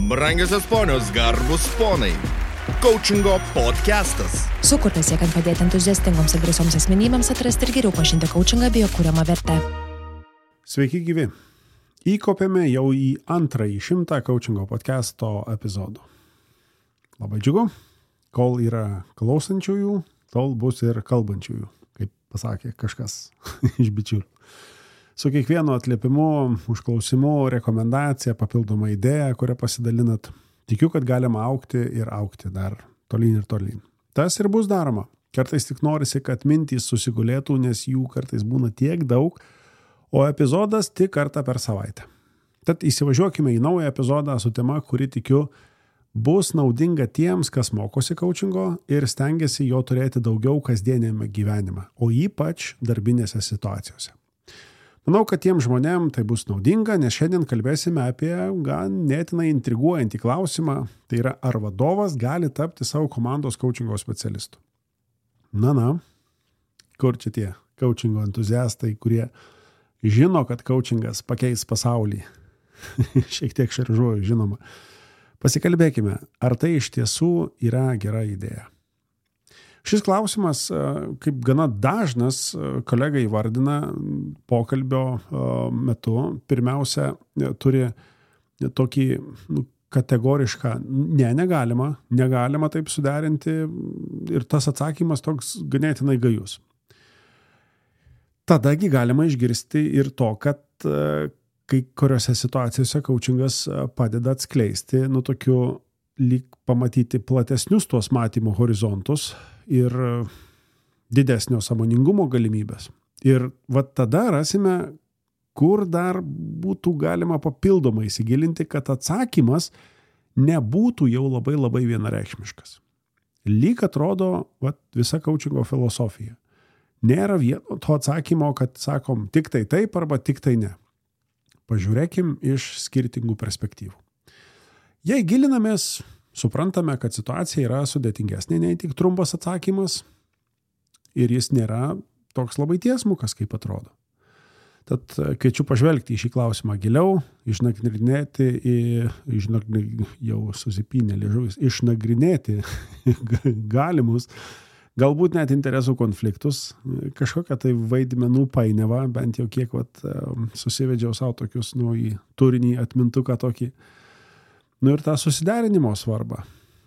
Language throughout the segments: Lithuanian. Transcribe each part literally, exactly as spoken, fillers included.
Brangiosios ponios, garbus ponai. Coachingo podcastas. Sukurtas siekiant padėti entuziastingoms ir drąsioms asmenybėms atrasti ir geriau pažinti coachingą bei jo kuriamą vertę. Sveiki gyvi. Įkopėme jau į antrąjį šimtą coachingo podcasto epizodų. Labai džiugu, kol yra klausančiųjų, tol bus ir kalbančiųjų, kaip pasakė kažkas iš bičiulių. Su kiekvienu atliepimu, užklausimu, rekomendacija, papildoma idėja, kurią pasidalinat, tikiu, kad galima augti ir augti dar tolyn ir tolyn. Tas ir bus daroma. Kartais tik norisi, kad mintys susigulėtų, nes jų kartais būna tiek daug, o epizodas tik kartą per savaitę. Tad įsivažiuokime į naują epizodą su tema, kuri tikiu bus naudinga tiems, kas mokosi coachingo ir stengiasi jo turėti daugiau kasdienėme gyvenime, o ypač darbinėse situacijose. Manau, kad tiem žmonėm tai bus naudinga, nes šiandien kalbėsime apie ganėtinai intriguojantį klausimą, tai yra, ar vadovas gali tapti savo komandos coachingo specialistu. Na, na, kur čia tie coachingo entuziastai, kurie žino, kad coachingas pakeis pasaulį. Šiek tiek šaržuoju, žinoma. Pasikalbėkime, ar tai iš tiesų yra gera idėja. Šis klausimas, kaip gana dažnas, kolega įvardina pokalbio metu, pirmiausia, turi tokį nu, kategorišką, ne, negalima, negalima taip suderinti ir tas atsakymas toks ganėtinai gajus. Tadagi galima išgirsti ir to, kad kai kuriuose situacijose coachingas padeda atskleisti, nu tokiu lyg pamatyti platesnius tuos matymo horizontus ir didesnio sąmoningumo galimybės. Ir va tada rasime, kur dar būtų galima papildomai įsigilinti, kad atsakymas nebūtų jau labai labai vienareikšmiškas. Lyg atrodo va, visa coachingo filosofija. Nėra vieno to atsakymo, kad sakom tik tai taip arba tik tai ne. Pažiūrėkim iš skirtingų perspektyvų. Jei gilinamės, suprantame, kad situacija yra sudėtingesnė nei tik trumpas atsakymas ir jis nėra toks labai tiesmukas, kaip atrodo. Tad kviečiu pažvelgti į šį klausimą giliau, išnagrinėti, išnagrinėti jau susipynė liežuvis, išnagrinėti galimus, galbūt net interesų konfliktus, kažkokią tai vaidmenų painiavą, bent jau kiek vat, susivedžiau savo tokius nu, į turinį atmintuką tokį. Nu ir tą susiderinimo svarbą.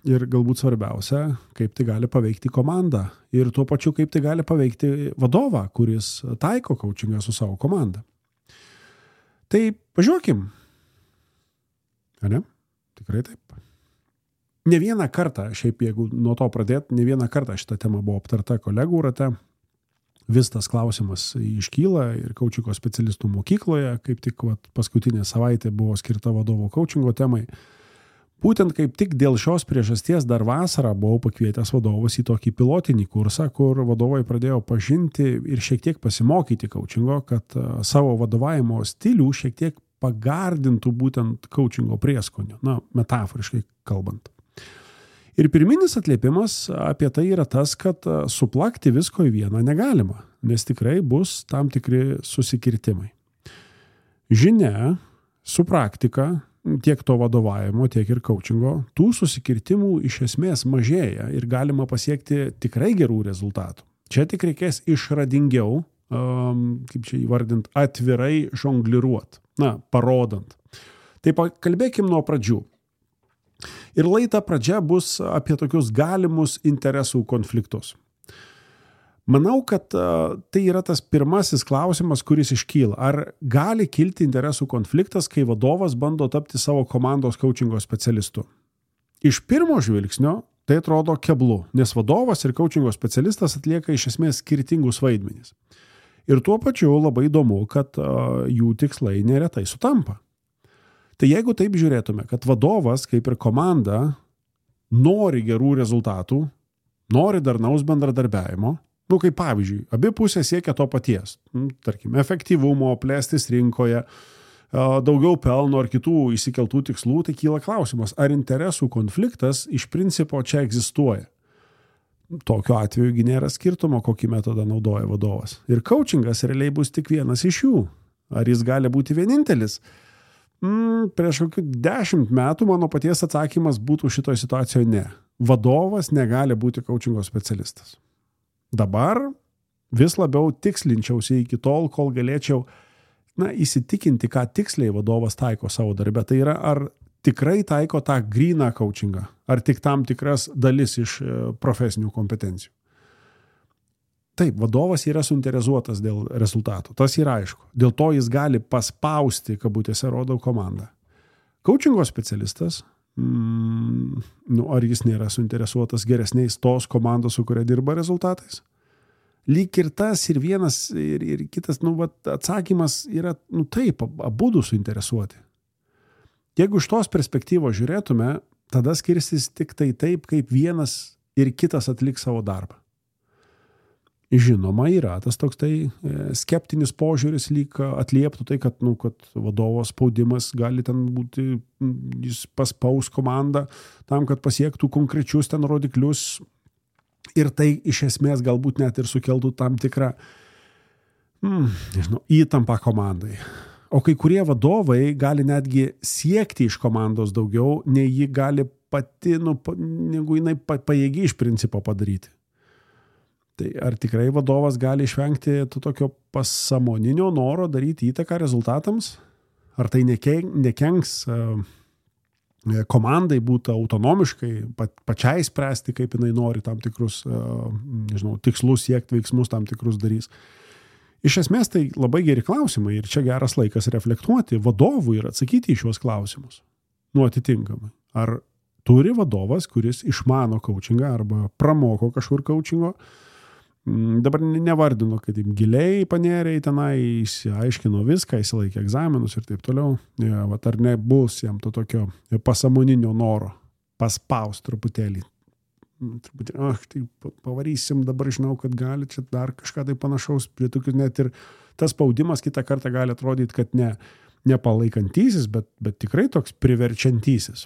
Ir galbūt svarbiausia, kaip tai gali paveikti komandą. Ir tuo pačiu, kaip tai gali paveikti vadovą, kuris taiko coachingą su savo komanda. Tai pažiūrėkim. Ar ne? Tikrai taip. Ne vieną kartą, šiaip jeigu nuo to pradėt, ne vieną kartą šitą temą buvo aptarta kolegų rate. Vis tas klausimas iškyla ir coachingo specialistų mokykloje, kaip tik vat, paskutinė savaitė buvo skirta vadovo coachingo temai. Būtent kaip tik dėl šios priežasties dar vasarą buvau pakvietęs vadovus į tokį pilotinį kursą, kur vadovai pradėjo pažinti ir šiek tiek pasimokyti coachingo, kad savo vadovavimo stilių šiek tiek pagardintų būtent coachingo prieskonių, na, metaforiškai kalbant. Ir pirminis atliepimas apie tai yra tas, kad suplakti visko į vieną negalima, nes tikrai bus tam tikri susikirtimai. Žinia, su praktika, tiek to vadovavimo, tiek ir coachingo, tų susikirtimų iš esmės mažėja ir galima pasiekti tikrai gerų rezultatų. Čia tik reikės išradingiau, um, kaip čia įvardint, atvirai žongliruot, na, parodant. Tai pakalbėkim nuo pradžių. Ir laida pradžia bus apie tokius galimus interesų konfliktus. Manau, kad uh, tai yra tas pirmasis klausimas, kuris iškyla. Ar gali kilti interesų konfliktas, kai vadovas bando tapti savo komandos coachingo specialistu? Iš pirmo žvilgsnio tai atrodo keblu, nes vadovas ir coachingo specialistas atlieka iš esmės skirtingus vaidmenis. Ir tuo pačiu labai įdomu, kad uh, jų tikslai neretai sutampa. Tai jeigu taip žiūrėtume, kad vadovas, kaip ir komanda, nori gerų rezultatų, nori darnaus bendradarbiavimo, nu, kaip pavyzdžiui, abi pusės siekia to paties, tarkim, efektyvumo, plėstis rinkoje, daugiau pelno ar kitų išsikeltų tikslų, tai kyla klausimas, ar interesų konfliktas iš principo čia egzistuoja. Tokiu atveju nėra skirtumo, kokį metodą naudoja vadovas. Ir coachingas realiai bus tik vienas iš jų. Ar jis gali būti vienintelis? Mm, prieš kokių dešimt metų mano paties atsakymas būtų šitoje situacijoje ne. Vadovas negali būti coachingo specialistas. Dabar vis labiau tikslinčiausi iki tol, kol galėčiau na, įsitikinti, ką tiksliai vadovas taiko savo darbe. Tai yra, ar tikrai taiko tą gryną coachingą, ar tik tam tikras dalis iš profesinių kompetencijų. Taip, vadovas yra suinteresuotas dėl rezultatų, tas yra aišku. Dėl to jis gali paspausti, kabutėse rodo komandą. Coachingo specialistas, mm, nu, ar jis nėra suinteresuotas geresniais tos komandos, su kuria dirba rezultatais? Lyg ir tas, ir vienas, ir, ir kitas, nu, vat, atsakymas yra, nu taip, abudu suinteresuoti. Jeigu iš tos perspektyvos žiūrėtume, tada skirsis tik tai taip, kaip vienas ir kitas atliks savo darbą. Žinoma, yra tas toks tai skeptinis požiūris lyg atlieptų tai, kad, nu, kad vadovo spaudimas gali ten būti, jis paspaus komandą tam, kad pasiektų konkrečius ten rodiklius ir tai iš esmės galbūt net ir sukeltų tam tikrą mm, nežinau, įtampą komandai. O kai kurie vadovai gali netgi siekti iš komandos daugiau, nei ji gali pati, nu, negu jinai pajėgi iš principo padaryti. Tai ar tikrai vadovas gali išvengti to tokio pasąmoninio noro daryti įtaką rezultatams? Ar tai nekenks komandai būti autonomiškai, pačiai spręsti, kaip jinai nori tam tikrus, nežinau, tikslus siekti, veiksmus tam tikrus darys? Iš esmės tai labai geri klausimai ir čia geras laikas reflektuoti vadovui ir atsakyti į šios klausimus. Nu, atitinkamai. Ar turi vadovas, kuris išmano coachingą arba pramoko kažkur coachingo? Dabar nevardinu, kad giliai panėrė į tenai, įsiaiškino viską, įsilaikė egzaminus ir taip toliau. Ja, vat, ar nebus jam to tokio pasąmoninio noro paspaus truputėlį. Truputėlį, ach, tai pavarysim, dabar žinau, kad gali čia dar kažką tai panašaus, prie tokių net ir tas spaudimas kitą kartą gali atrodyti, kad ne, nepalaikantysis, bet, bet tikrai toks priverčiantysis.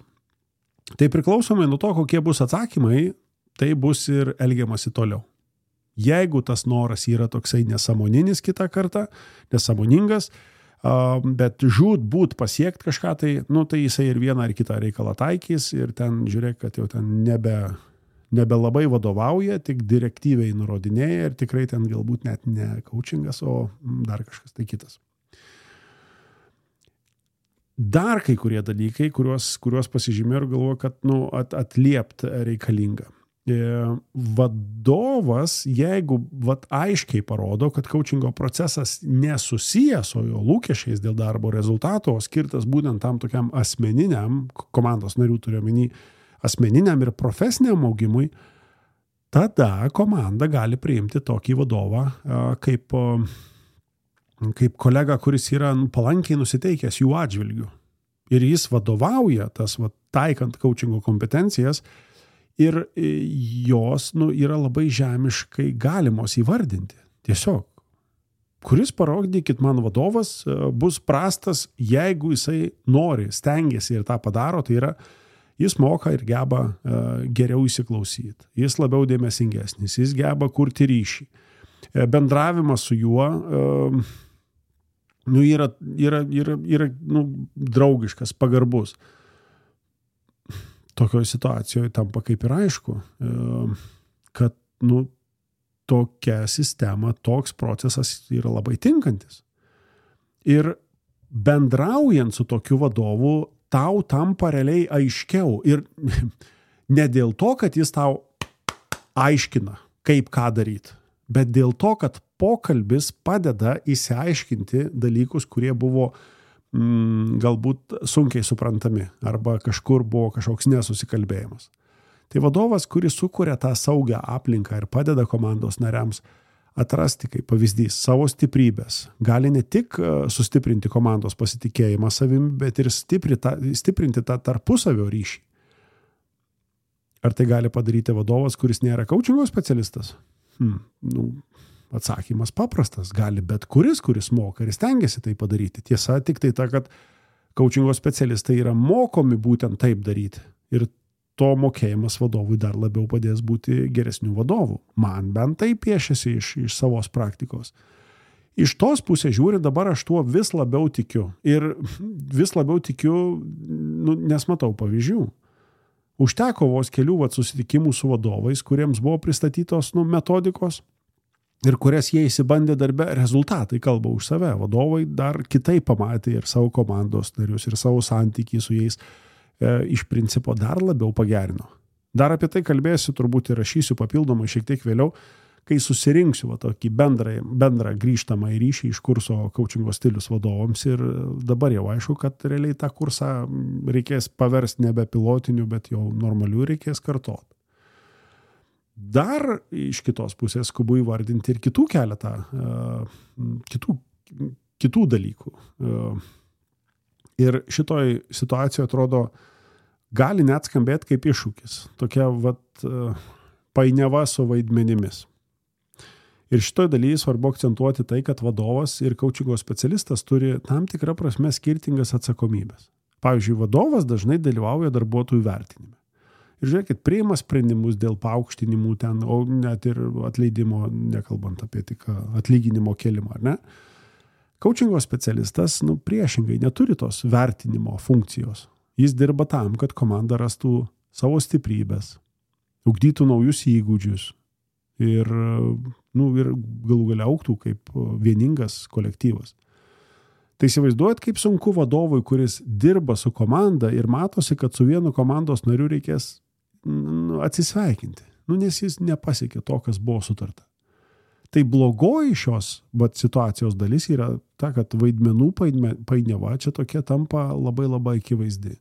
Tai priklausomai nuo to, kokie bus atsakymai, tai bus ir elgiamasi toliau. Jeigu tas noras yra toksai nesąmoninis kitą kartą, nesąmoningas, bet žūt būt pasiekti kažką, tai, nu, tai jisai ir vieną ar kitą reikalą taikys ir ten žiūrėk, kad jau ten nebe, nebe labai vadovauja, tik direktyviai nurodinėja ir tikrai ten galbūt net ne coachingas, o dar kažkas tai kitas. Dar kai kurie dalykai, kuriuos, kuriuos pasižymėjau ir galvoju, kad nu, at, atliept reikalinga. Vadovas, jeigu vat, aiškiai parodo, kad coachingo procesas nesusijęs, o jo lūkesčiais dėl darbo rezultato, skirtas būtent tam tokiam asmeniniam, komandos narių turiu omeny, asmeniniam ir profesiniam augimui, tada komanda gali priimti tokį vadovą kaip, kaip kolega, kuris yra nu, palankiai nusiteikęs jų atžvilgių. Ir jis vadovauja tas vat, taikant coachingo kompetencijas, ir jos nu, yra labai žemiškai galimos įvardinti. Tiesiog. Kuris parodykit man vadovas bus prastas, jeigu jisai nori, stengiasi ir tą padaro, tai yra, jis moka ir geba uh, geriau įsiklausyti. Jis labiau dėmesingesnis, jis geba kurti ryšį. Bendravimas su juo uh, nu, yra, yra, yra, yra nu, draugiškas, pagarbus. Tokioje situacijoje tampa kaip ir aišku, kad nu, tokia sistema, toks procesas yra labai tinkantis. Ir bendraujant su tokiu vadovu, tau tampa realiai aiškiau. Ir ne dėl to, kad jis tau aiškina, kaip ką daryti, bet dėl to, kad pokalbis padeda įsiaiškinti dalykus, kurie buvo galbūt sunkiai suprantami arba kažkur buvo kažkoks nesusikalbėjimas. Tai vadovas, kuris sukuria tą saugią aplinką ir padeda komandos nariams atrasti kaip pavyzdys savo stiprybės, gali ne tik sustiprinti komandos pasitikėjimą savimi, bet ir stiprinti tą tarpusavio ryšį. Ar tai gali padaryti vadovas, kuris nėra coachingo specialistas? Hmm, nu, atsakymas paprastas, gali bet kuris, kuris moka ir stengiasi tai padaryti. Tiesa, tik tai ta, kad coachingo specialistai yra mokomi būtent taip daryti. Ir to mokėjimas vadovui dar labiau padės būti geresnių vadovų. Man bent tai piešiasi iš, iš savos praktikos. Iš tos pusės žiūri, dabar aš tuo vis labiau tikiu. Ir vis labiau tikiu, nu, nes matau pavyzdžių. Užteko vos kelių vat, susitikimų su vadovais, kuriems buvo pristatytos nu, metodikos ir kurias jie įsibandė darbe, rezultatai kalba už save. Vadovai dar kitaip pamatė ir savo komandos narius, ir savo santykį su jais e, iš principo dar labiau pagerino. Dar apie tai kalbėsiu, turbūt ir rašysiu papildomai šiek tiek vėliau, kai susirinksiu va, tokį bendrą, bendrą grįžtamą į ryšį iš kurso coachingo stilius vadovams ir dabar jau aišku, kad realiai tą kursą reikės paversti nebe pilotiniu, bet jau normaliu reikės kartoti. Dar iš kitos pusės skubu įvardinti ir kitų keletą, kitų, kitų dalykų. Ir šitoj situacijoje atrodo, gali net skambėti kaip iššūkis. Tokia vat, painiava su vaidmenimis. Ir šitoj dalyje svarbu akcentuoti tai, kad vadovas ir coachingo specialistas turi tam tikrą prasme skirtingas atsakomybės. Pavyzdžiui, vadovas dažnai dalyvauja darbuotojų vertinime. Ir žiūrėkit, priima sprendimus dėl paaukštinimų ten, o net ir atleidimo, nekalbant apie tik atlyginimo kėlimą, ar ne? Coachingo specialistas, nu, priešingai neturi tos vertinimo funkcijos. Jis dirba tam, kad komanda rastų savo stiprybės, ugdytų naujus įgūdžius ir, nu, ir galų galia augtų kaip vieningas kolektyvas. Tai įsivaizduojat, kaip sunku vadovui, kuris dirba su komanda ir matosi, kad su vienu komandos nariu reikės nu, atsisveikinti, nu, nes jis nepasiekė to, kas buvo sutarta. Tai blogoji šios bet, situacijos dalis yra ta, kad vaidmenų painiava čia tokia tampa labai labai akivaizdi.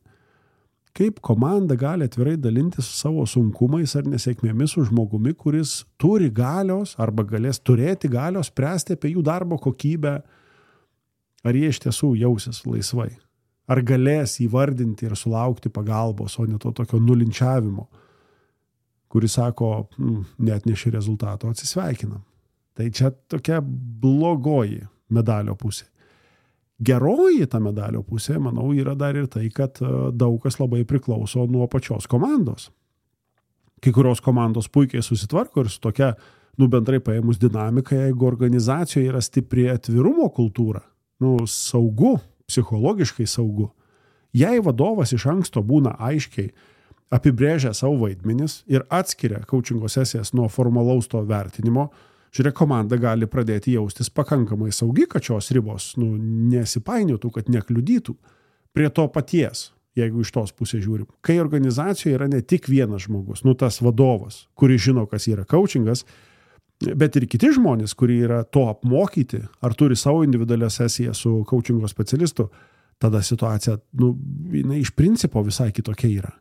Kaip komanda gali atvirai dalintis savo sunkumais ar nesėkmėmis su žmogumi, kuris turi galios arba galės turėti galios spręsti apie jų darbo kokybę, ar jie iš tiesų jausis laisvai, ar galės įvardinti ir sulaukti pagalbos, o ne to tokio nulinčiavimo, kuris sako, net neši rezultato, atsisveikinam. Tai čia tokia blogoji medalio pusė. Geroji ta medalio pusė, manau, yra dar ir tai, kad daug kas labai priklauso nuo pačios komandos. Kai kurios komandos puikiai susitvarko ir su tokia, nu, bendrai paėmus dinamika, jeigu organizacijoje yra stipri atvirumo kultūra, nu, saugu, psichologiškai saugu. Jei vadovas iš anksto būna aiškiai apibrėžę savo vaidmenis ir atskiria coachingo sesijas nuo formalaus to vertinimo, žiūrėk, komanda gali pradėti jaustis pakankamai saugi, kad šios ribos nu, nesipainiotų, kad nekliudytų prie to paties, jeigu iš tos pusės žiūrim. Kai organizacijoje yra ne tik vienas žmogus, nu tas vadovas, kuris žino, kas yra coachingas, bet ir kiti žmonės, kurie yra to apmokyti, ar turi savo individualią sesiją su coachingo specialistu, tada situacija, nu, jinai iš principo visai kitokia yra.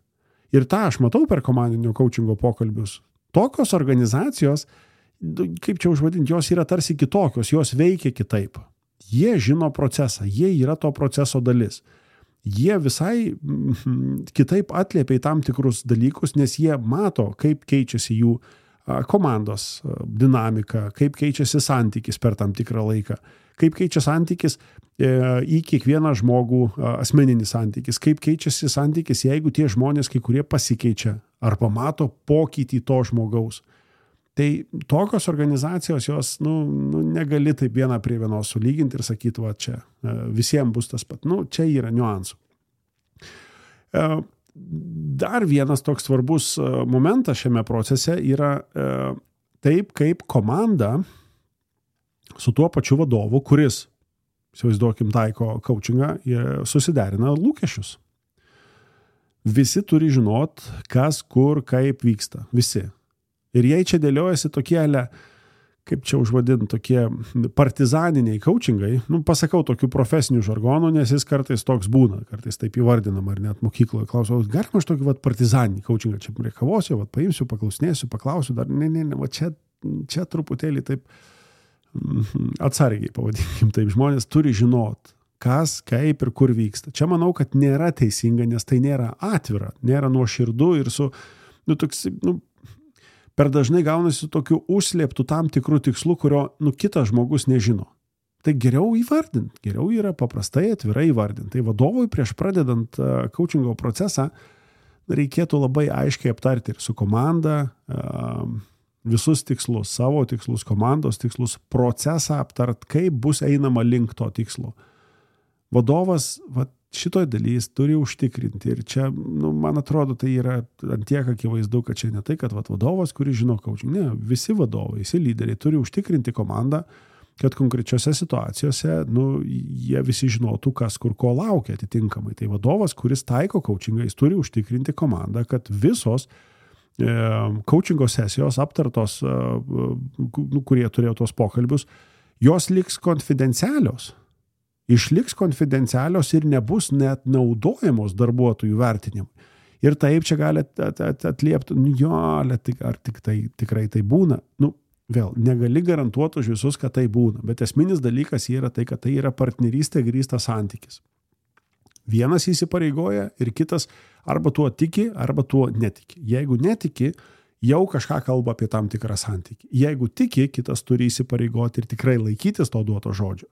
Ir tą aš matau per komandinio coachingo pokalbius. Tokios organizacijos, kaip čia užvadinti, jos yra tarsi kitokios, jos veikia kitaip. Jie žino procesą, jie yra to proceso dalis. Jie visai kitaip atliepia į tam tikrus dalykus, nes jie mato, kaip keičiasi jų komandos dinamika, kaip keičiasi santykis per tam tikrą laiką, kaip keičia santykis į kiekvieną žmogų asmeninis santykis, kaip keičiasi santykis, jeigu tie žmonės kai kurie pasikeičia ar pamato pokytį to žmogaus. Tai tokios organizacijos, jos nu, nu, negali taip vieną prie vienos sulyginti ir sakyti, va čia visiems bus tas pat. Nu, čia yra niuansų. Dar vienas toks svarbus momentas šiame procese yra taip, kaip komanda su tuo pačiu vadovu, kuris, įsivaizduokim, taiko coachingą, susiderina lūkesčius. Visi turi žinot, kas, kur, kaip vyksta. Visi. Ir jei čia dėliojasi tokie, kaip čia užvadinti, tokie partizaniniai coachingai, nu, pasakau tokių profesinių žargonų, nes jis kartais toks būna, kartais taip įvardinam, ar net mokykloje klausau, galima aš tokį vat, partizaninį coachingą čia prie kavos, vat, paimsiu, paklausinėsiu, paklausiu, dar ne, ne, ne, va čia, čia truputėlį taip atsargiai, pavadinkim, taip žmonės turi žinot, kas, kaip ir kur vyksta. Čia manau, kad nėra teisinga, nes tai nėra atvira, nėra nuoširdu ir su, nu, toks, nu, per dažnai gaunasi tokiu užslėptų tam tikrų tikslų, kurio nu, kitas žmogus nežino. Tai geriau įvardint, geriau yra paprastai atvirai įvardint. Tai vadovui prieš pradedant uh, coachingo procesą reikėtų labai aiškiai aptarti ir su komanda, uh, visus tikslus, savo tikslus, komandos tikslus, procesą aptart, kaip bus einama link to tikslo. Vadovas va, šitoj dalys turi užtikrinti ir čia, nu, man atrodo, tai yra ant tiek akivaizdu, kad čia ne tai, kad va, vadovas, kuris žino coaching, ne, visi vadovai, visi lyderiai turi užtikrinti komandą, kad konkrečiose situacijose, nu, jie visi žinotų, kas kur ko laukia atitinkamai. Tai vadovas, kuris taiko coachingą, jis turi užtikrinti komandą, kad visos e, coachingo sesijos aptartos, e, nu, kurie turėjo tos pokalbius, jos liks konfidencialios. Išliks konfidencialios ir nebus net naudojamos darbuotojų vertinimui. Ir taip čia gali atliepti, nu jo, ar tik tai, tikrai tai būna. Nu, vėl, negali garantuoti už visus, kad tai būna, bet esminis dalykas yra tai, kad tai yra partnerystė grįstas santykis. Vienas įsipareigoja ir kitas arba tuo tiki, arba tuo netiki. Jeigu netiki, jau kažką kalba apie tam tikrą santykį. Jeigu tiki, kitas turi įsipareigoti ir tikrai laikytis to duoto žodžio.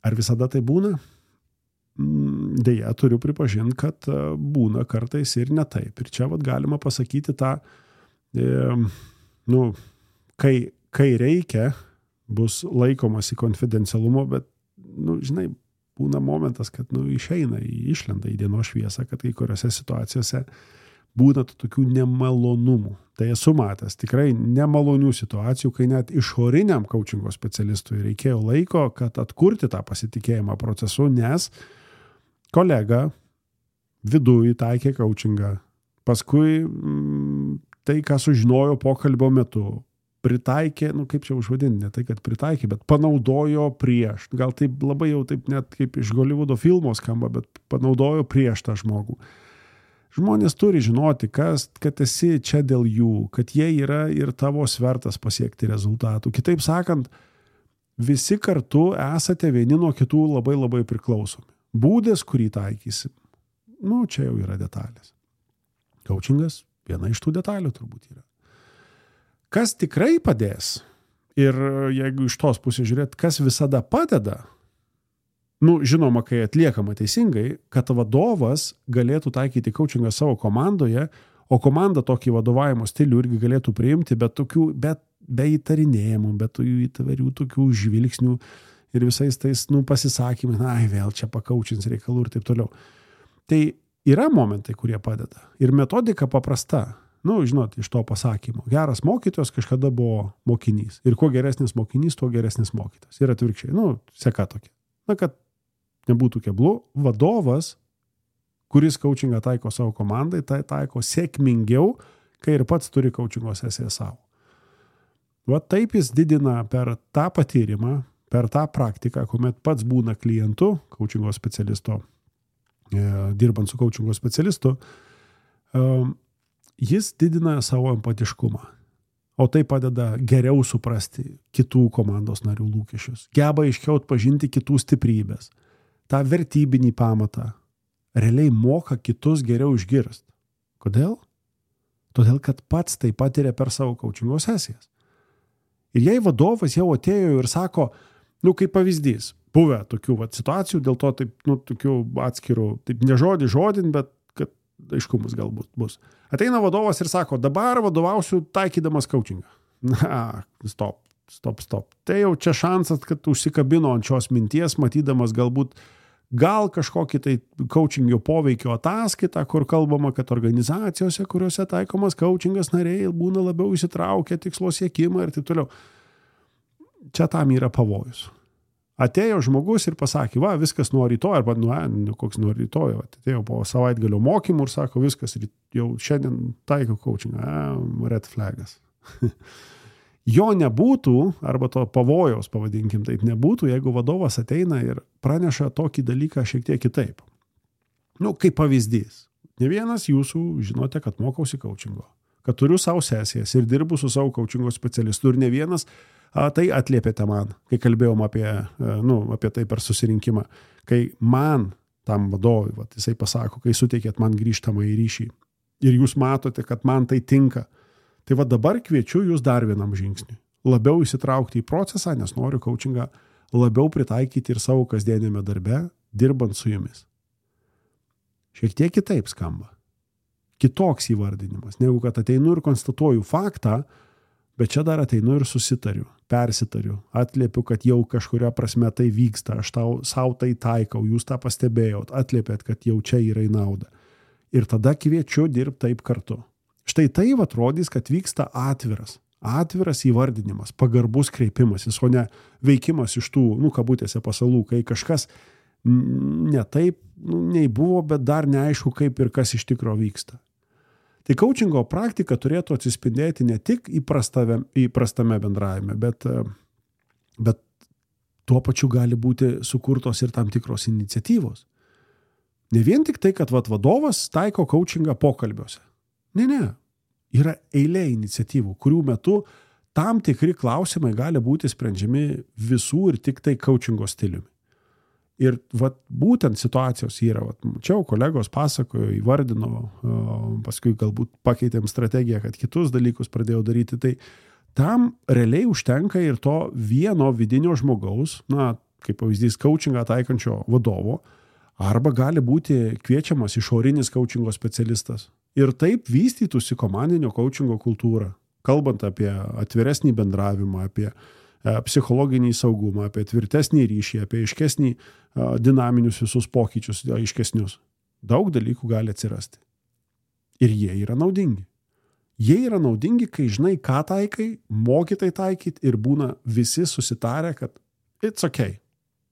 Ar visada tai būna? Deja, turiu pripažinti, kad būna kartais ir ne taip. Ir čia vat, galima pasakyti tą, e, nu, kai, kai reikia, bus laikomasi konfidencialumo, bet, nu, žinai, būna momentas, kad, nu, išeina, išlenda į dienos šviesą, kad kai kuriuose situacijose būna tokių nemalonumų. Tai esu matęs tikrai nemalonių situacijų, kai net išoriniam coachingo specialistui reikėjo laiko, kad atkurti tą pasitikėjimą procesu, nes kolega viduj taikė coachingą. Paskui m, tai, ką sužinojo pokalbio metu, pritaikė, nu kaip čia užvadinti, ne tai, kad pritaikė, bet panaudojo prieš. Gal taip labai jau taip net kaip iš Hollywoodo filmo skamba, bet panaudojo prieš tą žmogų. Žmonės turi žinoti, kas, kad esi čia dėl jų, kad jie yra ir tavo svertas pasiekti rezultatų. Kitaip sakant, visi kartu esate vieni nuo kitų labai labai priklausomi. Būdas, kurį taikysim, nu, čia jau yra detalės. Coachingas viena iš tų detalių turbūt yra. Kas tikrai padės ir jeigu iš tos pusės žiūrėt, kas visada padeda, nu, žinoma, kai atliekama teisingai, kad vadovas galėtų taikyti coachingą savo komandoje, o komanda tokį vadovavimo stilių irgi galėtų priimti, bet tokių, bet be įtarinėjimų, bet įtvarių tokių žvilgsnių ir visais tais, nu, pasisakymai, na, vėl čia pakaučins reikalų ir taip toliau. Tai yra momentai, kurie padeda. Ir metodika paprasta. Nu, žinot, iš to pasakymo. Geras mokytojas kažkada buvo mokinys. Ir kuo geresnis mokinys, tuo geresnis mokytojas. Ir atvirkščiai. Nu, seka tokia. Na, kad nebūtų keblų, vadovas, kuris coachingą taiko savo komandai, tai taiko sėkmingiau, kai ir pats turi coachingo sesiją savo. Va taip jis didina per tą patyrimą, per tą praktiką, kuomet pats būna klientu, coachingo specialisto, dirbant su coachingo specialistu, jis didina savo empatiškumą. O tai padeda geriau suprasti kitų komandos narių lūkesčius. Geba aiškiau atpažinti kitų stiprybės. tą vertybinį pamatą, realiai moka kitus geriau išgirsti. Kodėl? Todėl, kad pats tai patiria per savo coachingo sesijas. Ir jei vadovas jau atėjo ir sako, nu kaip pavyzdys, buvę tokių vat, situacijų, dėl to taip, nu, tokių atskirų, taip ne žodį žodin, bet kad aiškumas galbūt bus. Ateina vadovas ir sako, dabar vadovausiu taikydamas coachingą. Na, stop, stop, stop. Tai jau čia šansas, kad užsikabino ant šios minties, matydamas galbūt gal kažkokį tai coachingio poveikio ataskaitą, kur kalbama, kad organizacijose, kuriuose taikomas coachingas, nariai būna labiau įsitraukę tikslo siekimą ir taip toliau. Čia tam yra pavojus. Atėjo žmogus ir pasakė, va, viskas nuo rytoj, arba nu, nu koks nuo rytoj, atėjo po savaitgalio mokymų ir sako, viskas, jau šiandien taiko coachingą, red flagas. Jo nebūtų, arba to pavojaus, pavadinkim taip, nebūtų, jeigu vadovas ateina ir praneša tokį dalyką šiek tiek kitaip. Nu, kaip pavyzdys. Ne vienas jūsų žinote, kad mokausi coachingo, kad turiu savo sesijas ir dirbu su savo coachingo specialistu ir ne vienas a, tai atliepėte man, kai kalbėjom apie, a, nu, apie tai per susirinkimą, kai man, tam vadovui, va, jisai pasako, kai suteikėt man grįžtamą į ryšį ir jūs matote, kad man tai tinka. Tai va dabar kviečiu jūs dar vienam žingsniui. Labiau įsitraukti į procesą, nes noriu coachingą labiau pritaikyti ir savo kasdienėme darbe, dirbant su jumis. Šiek tiek kitaip skamba. kitoks įvardinimas, negu kad ateinu ir konstatuoju faktą, bet čia dar ateinu ir susitariu, persitariu, atliepiu, kad jau kažkuria prasme tai vyksta, aš tau, sau tai taikau, jūs tą pastebėjot, atliepėt, kad jau čia yra į naudą. Ir tada kviečiu dirbti taip kartu. Štai tai atrodys, kad vyksta atviras, atviras įvardinimas, pagarbus kreipimasis, o ne veikimas iš tų, nu, kabutėse pasalų, kai kažkas ne taip, nu, nei buvo, bet dar neaišku, kaip ir kas iš tikro vyksta. Tai coachingo praktika turėtų atsispindėti ne tik įprastame, įprastame bendravime, bet, bet tuo pačiu gali būti sukurtos ir tam tikros iniciatyvos. Ne vien tik tai, kad vat, vadovas taiko coachingą pokalbiuose. Ne, ne. Yra eilė iniciatyvų, kurių metu tam tikri klausimai gali būti sprendžiami visų ir tik tai coachingo stiliumi. Ir vat, būtent situacijos yra, vat, čia kolegos pasakojo, įvardino, paskui galbūt pakeitėm strategiją, kad kitus dalykus pradėjau daryti, tai tam realiai užtenka ir to vieno vidinio žmogaus, na, kaip pavyzdys, coachingą taikančio vadovo, arba gali būti kviečiamas išorinis coachingo specialistas. Ir taip vystytųsi komandinio coachingo kultūra, kalbant apie atviresnį bendravimą, apie psichologinį saugumą, apie tvirtesnį ryšį, apie aiškesnį dinaminius visus pokyčius, aiškesnius. Daug dalykų gali atsirasti. Ir jie yra naudingi. Jie yra naudingi, kai žinai, ką taikai, moki tai taikyti ir būna visi susitarę, kad it's okay,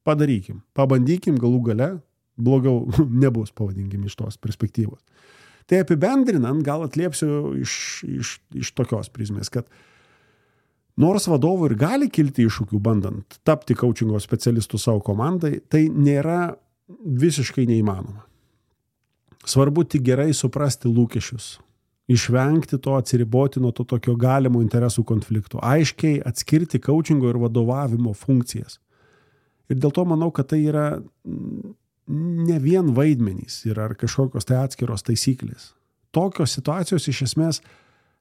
padarykim, pabandykim galų gale, blogiau nebus, pavadinkim, iš tos perspektyvos. Tai apibendrinant, gal atliepsiu iš, iš, iš tokios prizmės, kad nors vadovui ir gali kilti iššūkių bandant tapti coachingo specialistų savo komandai, tai nėra visiškai neįmanoma. Svarbu tik gerai suprasti lūkesčius, išvengti to, atsiriboti nuo to tokio galimo interesų konflikto, aiškiai atskirti coachingo ir vadovavimo funkcijas. Ir dėl to manau, kad tai yra ne vien vaidmenys ir ar kažkokios tai atskiros taisyklės. Tokios situacijos iš esmės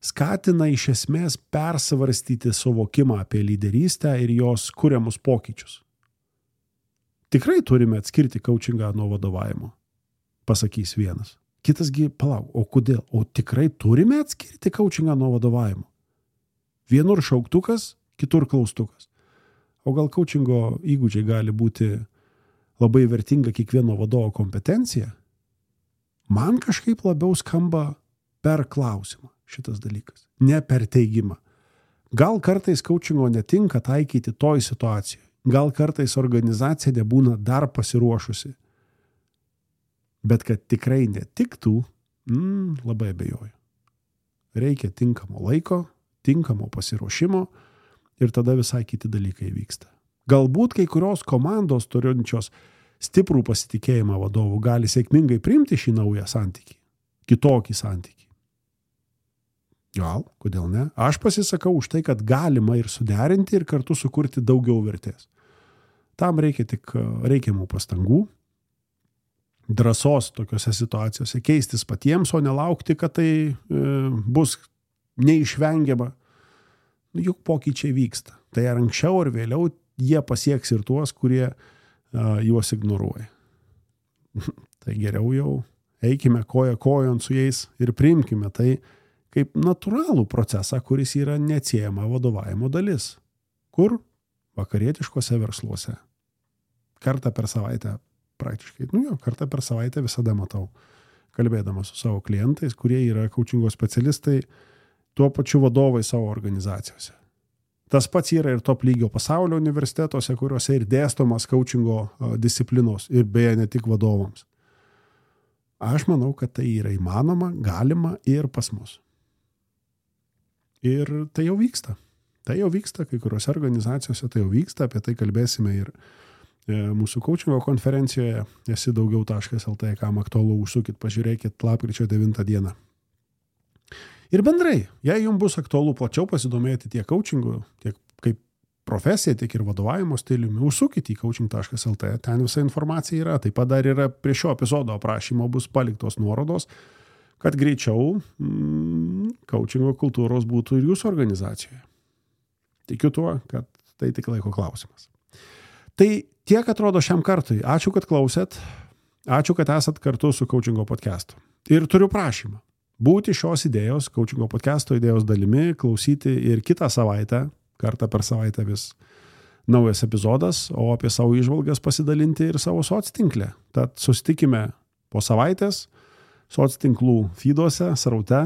skatina iš esmės persvarstyti suvokimą apie lyderystę ir jos kuriamus pokyčius. Tikrai turime atskirti coachingą nuo vadovavimo, pasakys vienas. Kitasgi, palauk, o kodėl? O tikrai turime atskirti coachingą nuo vadovavimo? Vienur šauktukas, kitur klaustukas. O gal coachingo įgūdžiai gali būti labai vertinga kiekvieno vadovo kompetencija? Man kažkaip labiau skamba per klausimą šitas dalykas, ne per teigimą. Gal kartais coachingo netinka taikyti toj situacijoje, gal kartais organizacija nebūna dar pasiruošusi, bet kad tikrai netiktų, mm, labai abejoju. Reikia tinkamo laiko, tinkamo pasiruošimo ir tada visai kiti dalykai vyksta. Galbūt kai kurios komandos turinčios stiprų pasitikėjimą vadovų gali sėkmingai priimti šį naują santykį, kitokį santykį. Gal, kodėl ne? Aš pasisakau už tai, kad galima ir suderinti ir kartu sukurti daugiau vertės. Tam reikia tik reikiamų pastangų, drąsos tokiose situacijose keistis patiems, o nelaukti, kad tai e, bus neišvengiama. Juk pokyčiai vyksta. Tai ar anksčiau ar vėliau jie pasieks ir tuos, kurie e, juos ignoruoja. Tai geriau jau eikime koja kojon su jais ir priimkime tai kaip natūralų procesą, kuris yra neatsiejama vadovavimo dalis. Kur? Vakarietiškose versluose. Kartą per savaitę praktiškai, nu jo, kartą per savaitę visada matau, kalbėdamas su savo klientais, kurie yra coachingo specialistai, tuo pačiu vadovai savo organizacijose. Tas pats yra ir top lygio pasaulio universitetuose, kuriuose ir dėstomas coachingo disciplinos ir beje ne tik vadovams. Aš manau, kad tai yra įmanoma, galima ir pas mus. Ir tai jau vyksta. Tai jau vyksta, kai kuriuose organizacijose tai jau vyksta, apie tai kalbėsime ir e, mūsų coachingo konferencijoje esi daugiau taškas el tė, kam aktualu, užsukit, pažiūrėkit lapkričio devintą dieną. Ir bendrai, jei jums bus aktualu plačiau pasidomėti tiek coachingu, tiek kaip profesija, tiek ir vadovavimo stiliumi, užsukit į coaching taškas el tė, ten visa informacija yra. Taip pat dar yra prie šio epizodo aprašymo bus paliktos nuorodos, kad greičiau mm, coachingo kultūros būtų ir jūsų organizacijoje. Tikiu tuo, kad tai tik laiko klausimas. Tai tiek atrodo šiam kartui. Ačiū, kad klausėt. Ačiū, kad esat kartu su coachingo podcastu. Ir turiu prašymą. būti šios idėjos, coachingo podcast'o idėjos dalimi, klausyti ir kitą savaitę, kartą per savaitę vis naujas epizodas, o apie savo įžvalgas pasidalinti ir savo soctinklę. Tad susitikime po savaitės soctinklų feeduose, sraute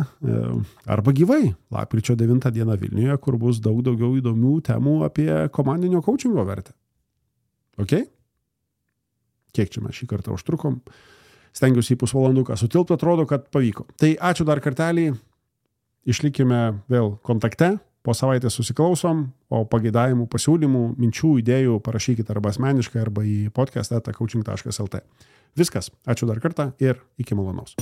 arba gyvai lapkričio devintą dieną Vilniuje, kur bus daug daugiau įdomių temų apie komandinio coachingo vertę. Ok? Kiek čia mes šį kartą užtrukom? Stengiuosi į pusvalanduką sutilpti, atrodo, kad pavyko. Tai ačiū dar kartelį, išlikime vėl kontakte, po savaitės susiklausom, o pageidavimų, pasiūlymų, minčių, idėjų parašykite arba asmeniškai, arba į podcast eta coaching taškas lt. Viskas, ačiū dar kartą ir iki malonaus.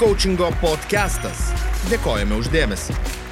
Coachingo podcastas. Dėkojame už dėmesį.